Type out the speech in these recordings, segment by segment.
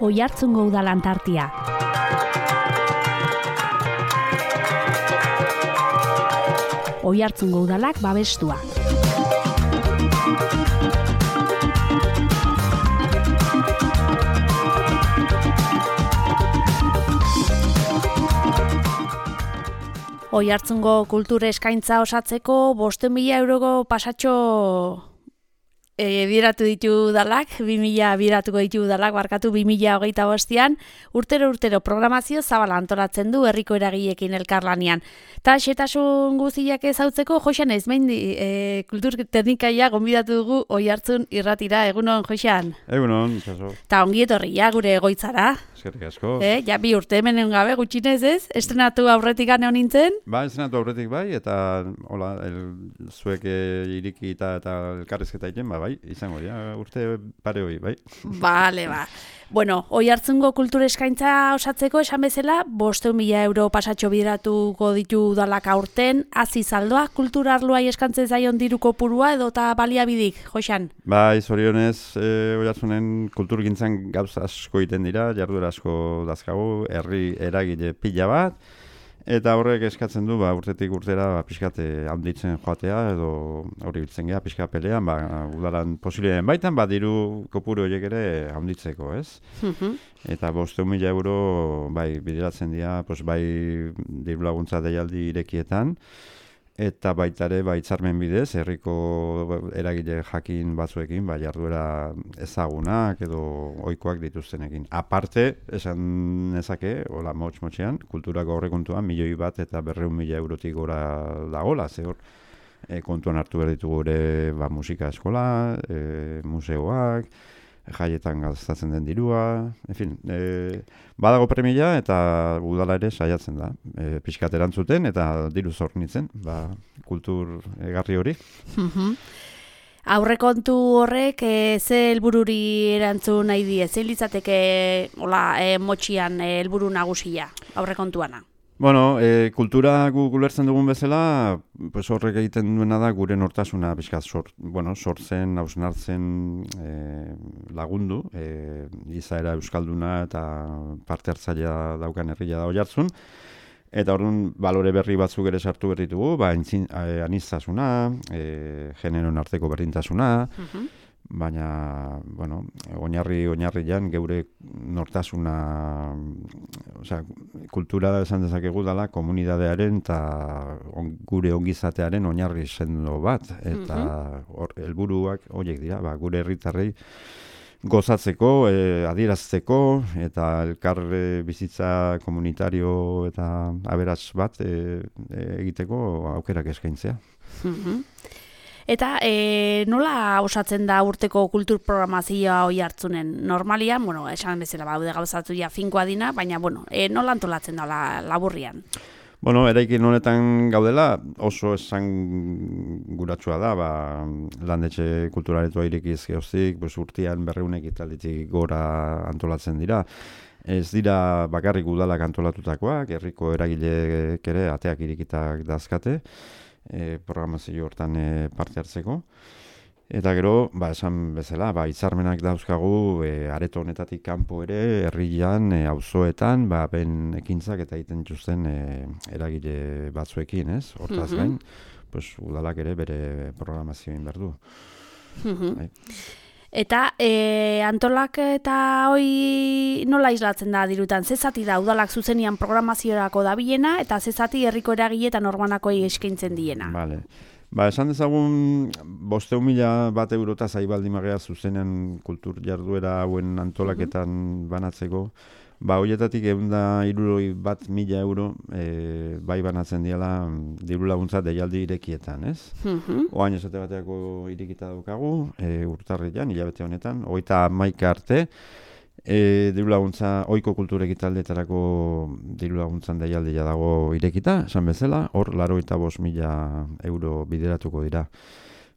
Oiartzungo udalan tartia. Oiartzungo udalak babestua. Oiartzungo kultur eskaintza osatzeko 500.000 euroko pasatxo bideratu ditu udalak, 2.000 bideratuko ditu udalak, barkatu 2025an, urtero programazio zabala antolatzen du herriko eragileekin elkarlanean. Ta xetasun guztiak ezautzeko, Joxan Ezmein kultur teknikaia gonbidatu dugu Oiartzun irratira. Egunon, Joxan? Egunon, itxaso. Ta ongi etorria gure egoitzara. Eskerrik asko. Ja, 2 urte hemen gabe gutxinez ez? Estrenatu aurretik gane honintzen? Ba, estrenatu aurretik bai, eta hola, zuek iriki eta elkarrizketa egiten, bai, izango, urte pare hori, bai. Bale, ba. Bueno, Oiartzungo kultur eskaintza osatzeko esan bezala, 500.000 euro pasatxo bideratuko ditu udalak aurten, hazi zaldoa, kultur arloai eskantzen zaion diru kopurua edo eta baliabidik, Joxan? Bai, zorionez, Oiartzunen kulturgintzan gauza asko egiten dira, jarduera asko dazkagu, herri eragile pila bat, eta horrek eskatzen du, urtetik urtera pixkat handitzen joatea, edo hori biltzen geha, pixkat pelean, udalan posibileen baitan, diru kopuru horiek ere handitzeko, ez? Eta 500.000 euro, bai, bideratzen dira, bai, diru laguntza deialdi irekietan, eta baita ere, hitzarmen bidez, herriko eragile jakin batzuekin, jarduera ezagunak edo ohikoak dituztenekin. Aparte, esan nezake, hola motxean, kulturako aurrekontuan 1.000.000 eta 200.000 eurotik gora dagoela, ze hor, kontuan hartu behar ditugu ere musika eskola, museoak, jaietan gastatzen den dirua, en badago premia eta udala ere saiatzen da. Pixkat erantzuten eta diru zornitzen, kultur egarri hori. Aurrekontu horrek ze helbururi erantzun nahi die? Zein litzateke motxian helburu nagusia aurrekontuana? Bueno, kultura gulertzen dugun bezala, horrek egiten duena da gure nortasuna pixkat sortzen, hausnartzen lagundu, izaera euskalduna eta parte hartzailea daukan herria da Oiartzun, eta orduan balore berri batzuk ere sartu berritugu, aniztasuna, generoen arteko berdintasuna, baina, oinarrian geure nortasuna, kultura esan dezakegu dela komunidadearen eta gure ongizatearen oinarri sendo bat, eta helburuak horiek dira, gure herritarrei gozatzeko, adierazteko, eta elkar bizitza komunitario eta aberats bat egiteko aukerak eskaintzea. Eta nola osatzen da urteko kultur programazioa Oiartzunen? Normalian, esan bezala baude gauzatu finkoa dina, baina, nola antolatzen da laburrian? Eraikin honetan gaudela oso esan guratsua da, landetxe kulturaretua irekiz geoztik, urtean 200 ekitalditik gora antolatzen dira. Ez dira bakarrik udalak antolatutakoak, herriko eragileek ere ateak irikitak dazkate, programazio hortan parte hartzeko. Eta gero, esan bezala, hitzarmenak dauzkagu areto honetatik kanpo ere, herrian, auzoetan, ben ekintzak eta egiten dituzten eragile batzuekin, ez? Hortaz gain, udalak ere bere programazioin behar du. Eta antolak eta hoi nola islatzen da dirutan? Zezati da udalak zuzenian programaziorako dabilena eta zezati herriko eragile eta norbanakoi eskaintzen diena. Vale. Esan dezagun 500.000 eurota zaibaldimagea zuzenean kultur jarduera hauen antolaketan banatzeko. Horietatik 161.000 euro bai banatzen diala diru laguntza deialdi irekietan, ez? Oain esate bateako irekita daukagu, urtarrian, hilabete honetan, 31 arte, diru laguntza, ohiko kultur ekitaldeetarako diru laguntzan deialdia dago irekita, esan bezala, hor 85.000 euro bideratuko dira.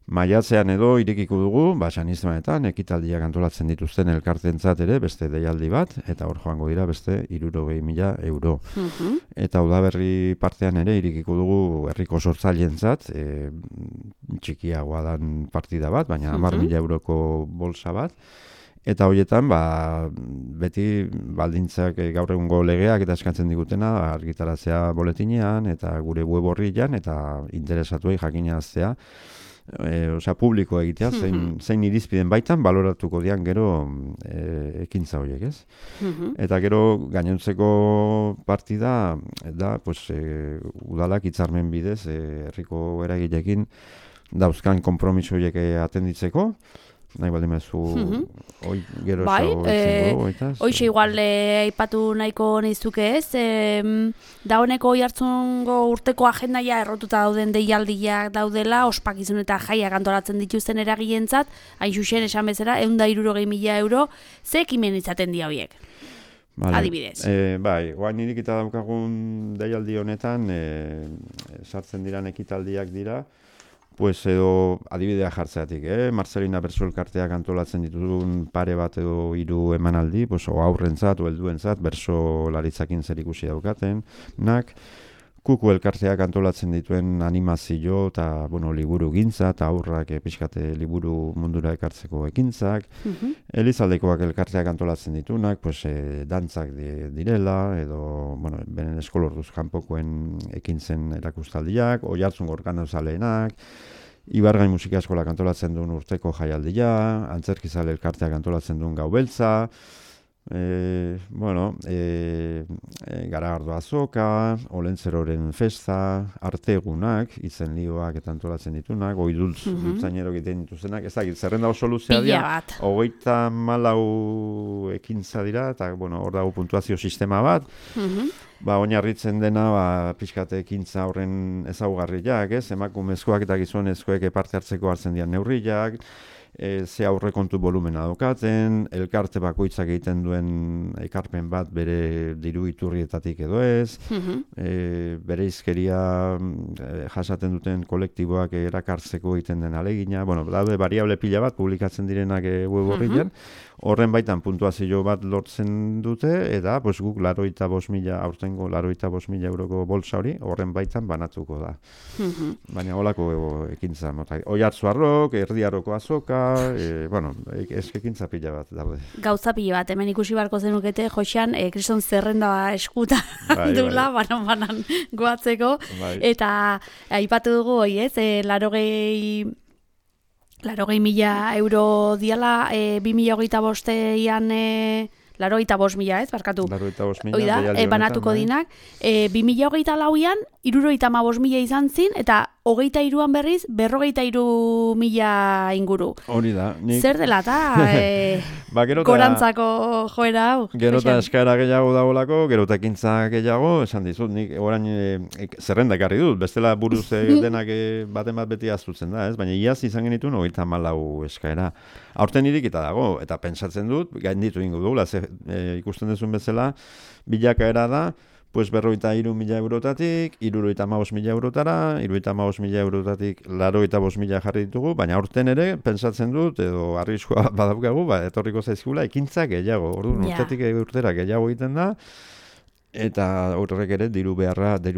Maiatzean edo irekiko dugu, San Istvanetan, ekitaldiak antolatzen dituzten elkarteentzat ere, beste deialdi bat, eta hor joango dira beste 60.000 euro. Eta udaberri partean ere irekiko dugu herriko sortzaileentzat, txikiagoa dan partida bat, baina 10.000 euroko bolsa bat. Eta horietan, beti baldintzak gaur egungo legeak eta eskatzen digutena argitaratzea boletinean eta gure web orrian eta interesatuei jakinaztea. Publiko egitea, zein irizpiden baitan baloratuko dian gero ekintza horiek, ez? Eta gero gainontzeko partida da, udalak hitzarmen bidez herriko eragileekin dauzkan konpromiso horiek atenditzeko, nahi baldin mezu gero hoize igual aipatu nahiko nizuke ez, dauneko oihartzungo urteko agendaia errotuta dauden deialdiak daudela, ospakizun eta jaiak antolatzen dituzten eragileentzat, hain zuzen esan bezala 160.000 euro, ze ekimen izaten dira horiek? Adibidez. Oain irikita daukagun deialdi honetan, sartzen diran ekitaldiak dira, edo adibidea jartzeatik, Marcelina Berso elkarteak antolatzen dituzun pare bat edo 3 emanaldi, aurrentzat o helduentzat berso laritzakin zerikusi daukatenak, Kuku elkarteak antolatzen dituen animazio eta liburu gintza eta aurrak pixkate liburu mundura ekartzeko ekintzak, Elizaldekoak elkarteak antolatzen ditunak, dantzak direla, edo benen eskolorduz kanpokoen ekintzen erakustaldiak, Oihartzungo organozaleenak, Ibargain musika eskolak antolatzen duen urteko jaialdia, Antzerkizale elkarteak antolatzen duen gau beltza, Garagardo azoka, Olentzeroren festa, artegunak, izenlioak eta antolatzen ditunak, oidultz dutzainero egiten dituzenak, ez dakit, zerrenda oso luzea dira, 34 ekintza dira, eta hor dago puntuazio sistema bat, oinarritzen dena pixkate ekintza horren ezaugarriak, emakumezkoak eta gizonezkoek parte hartzeko hartzen dian neurriak, ze aurrekontu volumena daukaten, elkarte bakoitzak egiten duen ekarpen bat bere diru iturrietatik edo ez, bere izkeria jasaten duten kolektiboak erakartzeko egiten den alegina, daude variable pila bat publikatzen direnak web horrian, horren baitan puntuazio bat lortzen dute, eta guk 85.000, aurtengo 85.000 euroko bolsa hori, horren baitan banatuko da. Baina holako ekintza, Oihartzuarrok, Erdiaroko azoka, eskekintza pila bat daude. Gauza pila bat, hemen ikusi barko zenukete, Josean, kriston zerrenda eskuta dula, banan goatzeko, eta aipatu dugu hoi, 80.000 euro diala, 2025ean 85.000, ez, barkatu. 85.000, banatuko dinak. 2024ean 75.000 izan zin, eta 23an berriz 43.000 inguru. Hori da. Zer dela eta gorantzako joera hau? Gero eta eskaera gehiago dagoelako, gero eta ekintza gehiago, esan dizut, nik orain zerrenda ekarri dut, bestela buruz denak baten bat beti aztutzen da, ez? Baina iaz izan genituen 34 eskaera. Aurten irikita dago, eta pentsatzen dut, gainditu ingo dugula, ikusten duzun bezala, bilakaera da, 53.000 eurotatik, 75.000 eurotara, 75.000 eurotatik 85.000 jarri ditugu, baina aurten ere, pentsatzen dut, edo arriskua badaukagu, etorriko zaizkula, ekintza gehiago, orduan urtetik urtera gehiago egiten da, eta horrek ere diru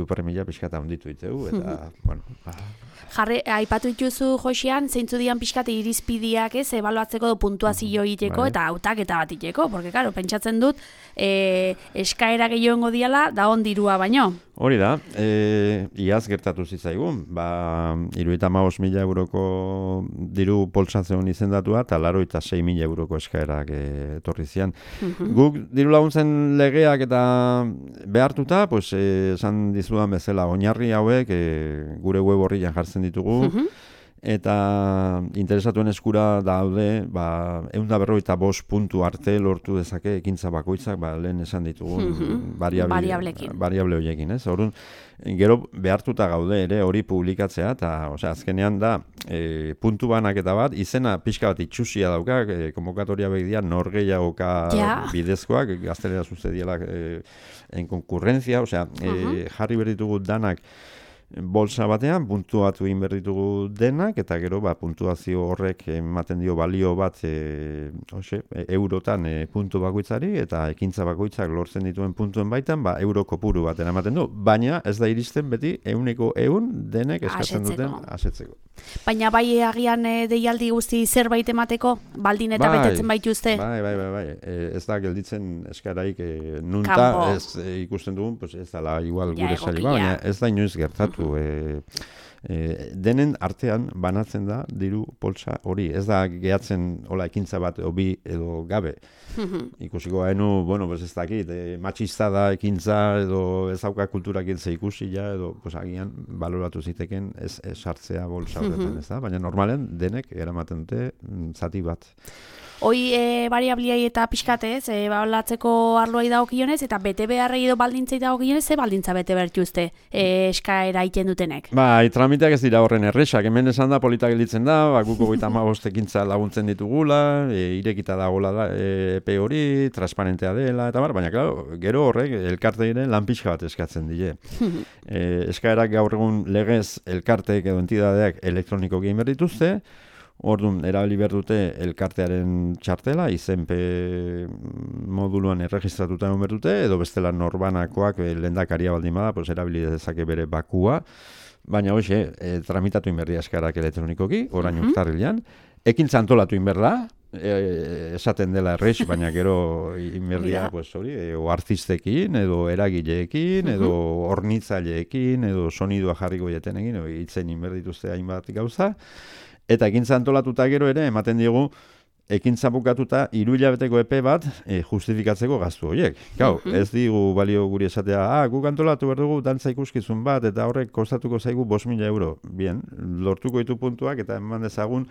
premia pixkata onditu ditugu, eta, aipatu dituzu, Josean, zeintzu dian pixkate irizpidiak ebaluatzeko puntuazio egiteko eta hautaketa bat egiteko, porque, claro, pentsatzen dut, eskaera gehiago diala, da on dirua baino. Hori da, iaz gertatu zitzaigun, 75.000 euroko diru poltsatzen izendatua, eta 86.000 euroko eskaerak etorri zian. Guk diru laguntzen legeak eta behartuta, esan dizudan bezala, oinarri hauek gure web horrian jartzen ditugu, eta interesatuen eskura daude 155 puntu arte lortu dezake ekintza bakoitzak, lehen esan ditugun variable horiekin, ez? Orduan, gero behartuta gaude ere hori publikatzea, eta azkenean da puntu banaketa bat, izena pixka bat itxusia dauka, konvokatoria begidean norgehiagoka bidezkoak, gaztelera sucedielak en konkurrentzia, jarri berditugu danak bolsa batean puntuatu egin behar ditugu denak, eta gero puntuazio horrek ematen dio balio bat eurotan puntu bakoitzari, eta ekintza bakoitzak lortzen dituen puntuen baitan euro kopuru baten ematen du. Baina ez da iristen beti 100% denek eskatzen duten asetzeko. Baina bai agian deialdi guzti zerbait emateko, baldin eta betetzen baituzte? Bai. Ez da gelditzen eskaraik nunta ez ikusten dugun, pues ez da igual gure saili, baina ez da inoiz gertatu. Denen artean banatzen da diru poltsa hori. Ez da gehatzen hola ekintza bat obi edo gabe. Ikusiko hainu, ez dakit, matxista da ekintza edo ez dauka kulturak intza ikusia edo agian baloratu ziteken ez sartzea bolsa horretan, ez da? Baina normalen denek eramaten dute zati bat. Hoi variabliai eta pixkatez, balatzeko arloai dagokionez eta bete beharrei edo baldintzei dagokionez, ze baldintza bete bertuzte eskaera egiten dutenek? Tramiteak ez dira horren erresak, hemen esan da polita gelditzen da, guko 55 ekintza laguntzen ditugula, irekita dagoela da, epe hori, transparentea dela, eta baina, gero horrek elkarteire lan pixka bat eskatzen die. Eskaerak gaur egun legez elkarteek edo entidadeak elektronikoki egin behar dituzte, orduan, erabili behar dute elkartearen txartela, izenpe moduluan erregistratuta egon behar dute, edo bestela norbanakoak lehendakaria baldin bada, erabili dezake bere bakua, baina hoxe, tramitatu inberdia eskarak elektronikoki, orain urtarrilean, ekintza antolatu inberda, esaten dela errex, baina gero inberdia, o artistekin, edo eragileekin, edo hornitzaileekin, edo sonidua jarriko jetenekin, edo hitzen inberdituzte hainbat gauza, eta ekintza antolatuta gero ere, ematen diegu, ekintza bukatuta 3 hilabeteko epe bat justifikatzeko gastu horiek. Ez digu balio guri esatea, guk antolatu behar dugu dantza ikuskizun bat, eta horrek kostatuko zaigu 5.000 euro. Bien, lortuko ditu puntuak, eta eman dezagun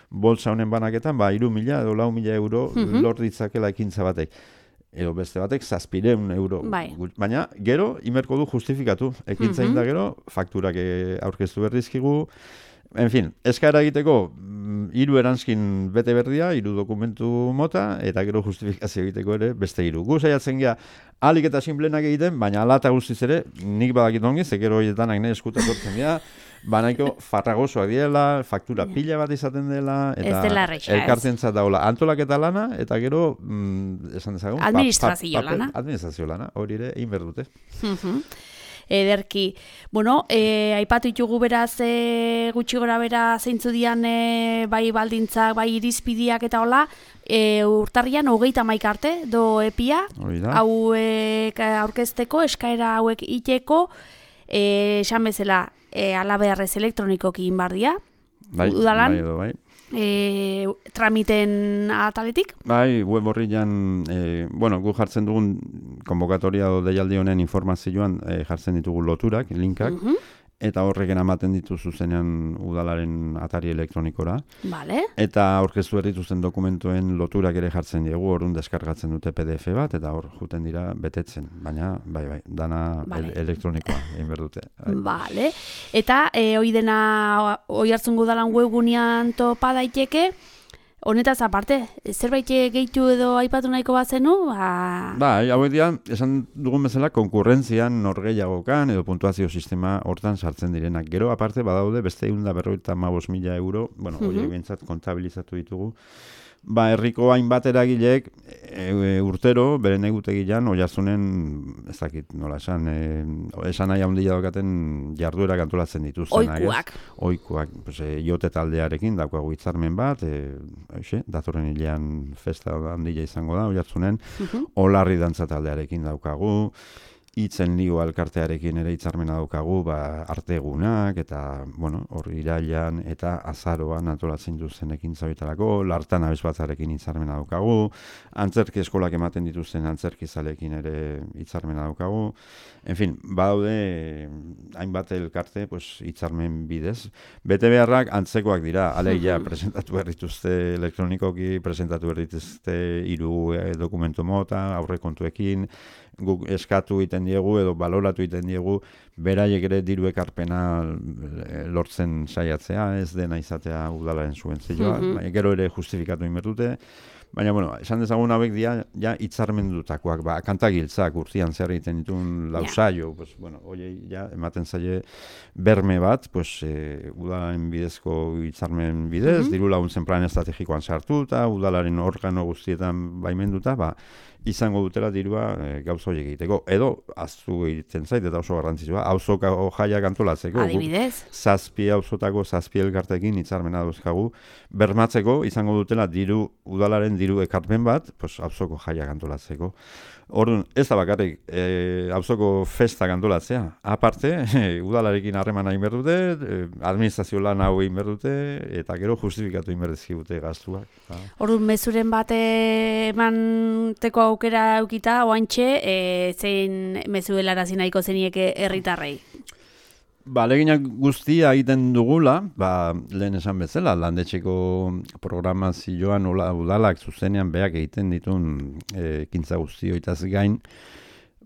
bolsa honen banaketan, 3.000 edo 4.000 euro lort ditzakela ekintza batek. Edo beste batek 700 euro. Baina, gero, imerko du justifikatu. Ekintza inda gero, fakturak aurkeztu berdizkigu. En fin, eskaera egiteko 3 eranskin bete berdia, 3 dokumentu mota, eta gero justifikazio egiteko ere beste 3. Gu saiatzen gea alik eta sinplenak egiten, baina ala eta guztiz ere, nik badakit ongi, zekero horietanak nahi eskutak ortzen gea, banaiko farragosoak diela, faktura pila bat izaten dela, eta elkartentzat daula antolaketa lana, eta gero, esan dezagun, administrazio lana. Administrazio lana, hori ere, egin behar dute. Ederki. Aipatu ditugu beraz gutxi gora bera zeintzu dian bai baldintzak, bai irizpidiak eta hola, urtarrian 31 arte do epia, hauek aurkezteko, eskaera hauek iteko, esan bezala, alabeharrez elektronikoki inbardia, udalan, bai. Tramiten ataletik? Bai, web horrian, gu jartzen dugun konbokatoria o deialdi honen informazioan jartzen ditugu loturak, linkak, eta horreken ematen ditu zuzenean udalaren atari elektronikora. Vale. Eta aurkeztu dituzten dokumentuen loturak ere jartzen diegu, orduan deskargatzen dute PDF bat, eta hor juten dira betetzen. Baina, bai, dana elektronikoa egin behar dute. Vale. Eta hoi hartzun gudalan webgunean topa daiteke, honetaz aparte, zerbait gehitu edo aipatu nahiko bat zenu? Hauek dira, esan dugun bezala, konkurrentzian norgehiagokan edo puntuazio sistema hortan sartzen direnak. Gero, aparte, badaude, beste 155.000 euro, horiek bintzat kontabilizatu ditugu. Herriko hainbat eragileek urtero, beren egutegian, Oiartzunen, ez dakit nola esan, esan nahi handia daukaten jarduerak antolatzen dituzten. Oikuak. Jote taldearekin daukagu hitzarmen bat, datorren hilean festa handia izango da, Oiartzunen, Olarri dantza taldearekin daukagu, Itzen Ligo elkartearekin ere hitzarmena daukagu, artegunak, eta, hor irailan eta azaroan antolatzen duzen ekintza horietarako, Lartan abesbatzarekin hitzarmena daukagu, antzerki eskolak ematen dituzten antzerkizalekin ere hitzarmena daukagu. En fin, badaude hainbat elkarte hitzarmen bidez. Bete beharrak antzekoak dira, alegia presentatu behar dituzte elektronikoki, presentatu behar dituzte 3 dokumentu mota, aurrekontuekin, guk eskatu egiten diegu edo baloratu egiten diegu beraiek ere diru ekarpena lortzen saiatzea, ez dena izatea udalaren subentzioa, gero ere justifikatu egin behar dute, Baina, bueno, esan dezagun hauek dira, ja, hitzarmendutakoak, kantagiltzak urtean zer egiten dituen lausaio, pues, bueno, oiei, ja, ematen zaie berme bat, pues, udalaren bidezko hitzarmen bidez, diru laguntzen plan estrategikoan sartuta, udalaren organo guztietan baimenduta, izango dutela dirua gauza horiek egiteko. Edo, aztu egiten zait, eta oso garrantzitsua, auzoko jaiak antolatzeko. Adibidez? 7 auzotako 7 elkartekin hitzarmena dauzkagu, bermatzeko izango dutela udalaren diru ekarpen bat, pues, auzoko jaiak antolatzeko. Orduan, ez da bakarrik auzoko festak antolatzea. Aparte, udalarekin harremana egin behar dute, administrazio lan hau egin behar dute, eta gero justifikatu egin behar dizkigute gastuak. Orduan, mezuren bat emanteko aukera eukita, oantxe, zein mezuelarazi nahiko zenieke herritarrei? Leginak guztia egiten dugula, lehen esan bezala, landetxeko programazioan udalak zuzenean beak egiten ditun ekintza guztioitaz gain,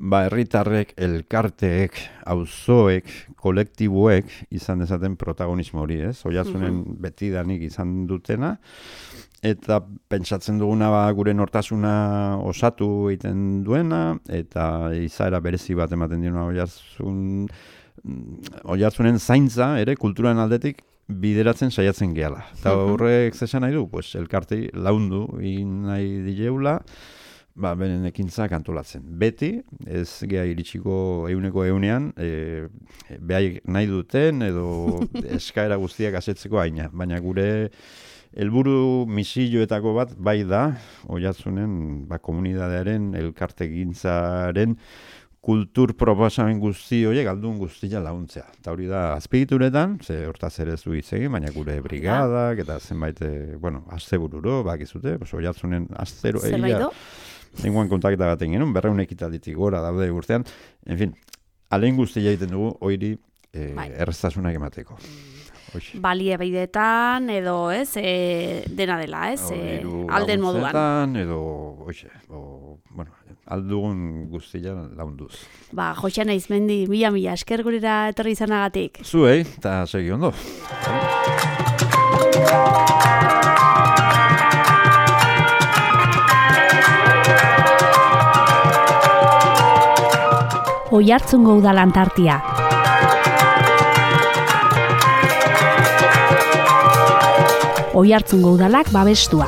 herritarrek, elkarteek, auzoek, kolektiboek izan dezaten protagonismo hori, ez? Oiartzunen betidanik izan dutena, eta pentsatzen duguna gure nortasuna osatu egiten duena, eta izaera berezi bat ematen diona Oiartzunen zaintza ere kulturan aldetik bideratzen saiatzen gehala. Eta horrek zesan nahi du, pues, elkartei laundu nahi dileula, beren ekintzak antolatzen. Beti, ez geha iritsiko egunean, behaik nahi duten edo eskaera guztiak asetzeko aina. Baina gure helburu misioetako bat bai da, Oiartzunen komunidadearen, elkartegintzaren, kultur proposamen guzti horiek aldun guztia laguntzea. Eta hori da azpigituretan, hortaz ere ez du hitz egin, baina gure brigadak eta zenbait, astebururo, bakizute, Oiartzunen astero egia. Nengoan kontaketa baten genuen, 200 ekitalditik gora daude urtean. En fin, alein guztia egiten dugu, hori erreztasunak emateko. Baliabideetan edo ez, dena dela, ez, alden moduan. Edo, aldugun guztia launduz. Joxean Aizmendi, mila esker gurera etorri izanagatik. Zuei, eta segi ondo. Oiartzungo udalantartia. Oiartzungo udalak babestua.